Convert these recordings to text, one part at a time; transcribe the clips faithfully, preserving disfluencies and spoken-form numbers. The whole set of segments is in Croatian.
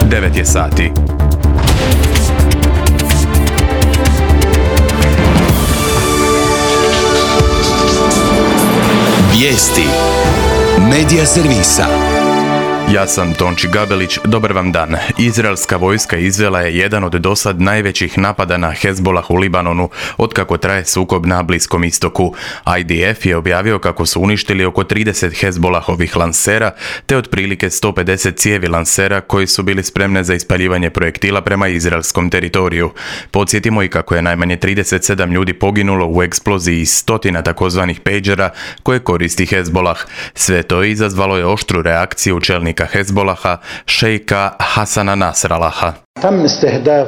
devet je sati. Vijesti Medija servisa. Ja sam Tonči Gabelić, dobar vam dan. Izraelska vojska izvela je jedan od dosad najvećih napada na Hezbolah u Libanonu, otkako traje sukob na Bliskom istoku. I D F je objavio kako su uništili oko trideset Hezbolahovih lansera, te otprilike sto pedeset cijevi lansera koji su bili spremne za ispaljivanje projektila prema izraelskom teritoriju. Podsjetimo i kako je najmanje trideset sedam ljudi poginulo u eksploziji stotina takozvanih pejđera koje koristi Hezbolah. Sve to izazvalo je oštru reakciju čelnika Hezbolaha, šejka Hasana Nasralaha.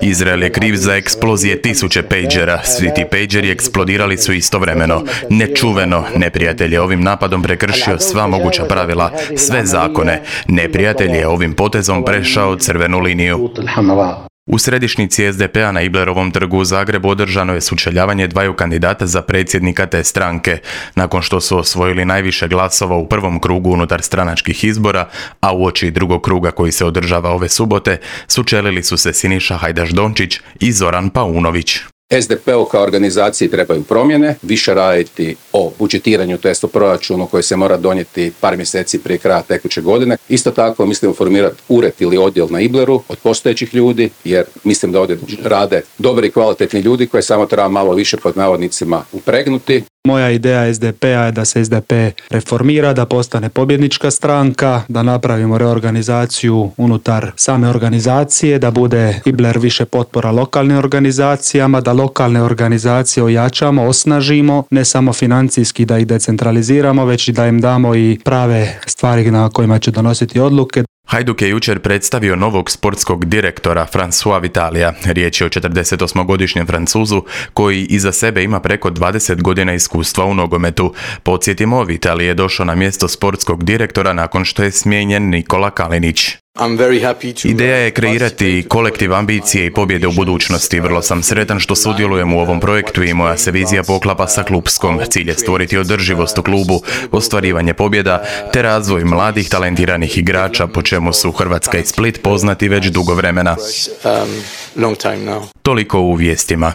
Izrael je kriv za eksplozije tisuće pejđera. Svi ti pejđeri eksplodirali su istovremeno. Nečuveno, neprijatelj je ovim napadom prekršio sva moguća pravila, sve zakone. Neprijatelj je ovim potezom prešao crvenu liniju. U središnjici S D P-a na Iblerovom trgu u Zagrebu održano je sučeljavanje dvaju kandidata za predsjednika te stranke. Nakon što su osvojili najviše glasova u prvom krugu unutar stranačkih izbora, a uoči drugog kruga koji se održava ove subote, sučelili su se Siniša Hajdaš-Dončić i Zoran Paunović. S D P-u kao organizaciji trebaju promjene, više raditi o budžetiranju, to jest o proračunu koji se mora donijeti par mjeseci prije kraja tekuće godine. Isto tako mislimo formirati ured ili odjel na Ibleru od postojećih ljudi, jer mislim da ovdje rade dobri i kvalitetni ljudi koje samo treba malo više pod navodnicima upregnuti. Moja ideja S D P-a je da se S D P reformira, da postane pobjednička stranka, da napravimo reorganizaciju unutar same organizacije, da bude Ibler više potpora lokalnim organizacijama, da lokalne organizacije ojačamo, osnažimo, ne samo financijski da ih decentraliziramo, već i da im damo i prave stvari na kojima će donositi odluke. Hajduk je jučer predstavio novog sportskog direktora François Vitalija. Riječ je o četrdesetosmogodišnjem Francuzu koji iza sebe ima preko dvadeset godina iskustva u nogometu. Podsjetimo, Vitalij je došao na mjesto sportskog direktora nakon što je smijenjen Nikola Kalinić. Ideja je kreirati kolektiv ambicije i pobjede u budućnosti. Vrlo sam sretan što sudjelujem u ovom projektu i moja se vizija poklapa sa klupskom. Cilj je stvoriti održivost u klubu, ostvarivanje pobjeda te razvoj mladih talentiranih igrača, po čemu su Hrvatska i Split poznati već dugo vremena. Toliko u vijestima.